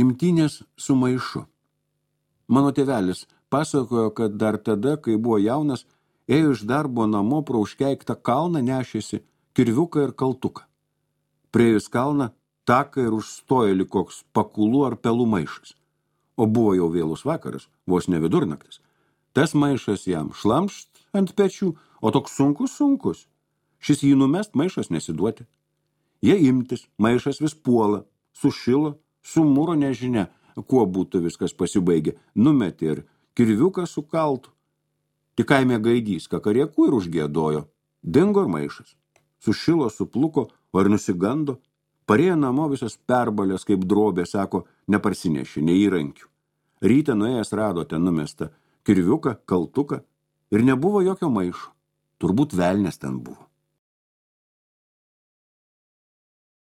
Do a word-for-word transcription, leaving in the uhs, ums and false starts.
Gimtinės su maišu. Mano tėvelis pasakojo, kad dar tada, kai buvo jaunas, ėjo iš darbo namo pro užkeiktą kalną nešėsi kirviuką ir kaltuką. Priėjus kalną, taką ir užstojo lyg koks pakulų ar pelų maišas. O buvo jau vėlus vakaras, vos ne vidurnaktis. Tas maišas jam šlamšt ant pečių, o toks sunkus sunkus. Šis jį numest, maišas nesiduoti. Jie imtis, maišas vis puola, sušilo, sumūro nežinia, kuo būtų viskas pasibaigė, numetė ir kirviuką sukaltų. Tik kaime gaidys kakariekų ir užgėdojo. Dingo ir maišas. Sušilo, supluko, o ir nusigando. Parėjo namo visas perbalės kaip drobė, sako, neparsinešė, nei įrankių. Ryte nuėjęs rado ten numestą kirviuką, kaltuką ir nebuvo jokio maišo. Turbūt velnias ten buvo.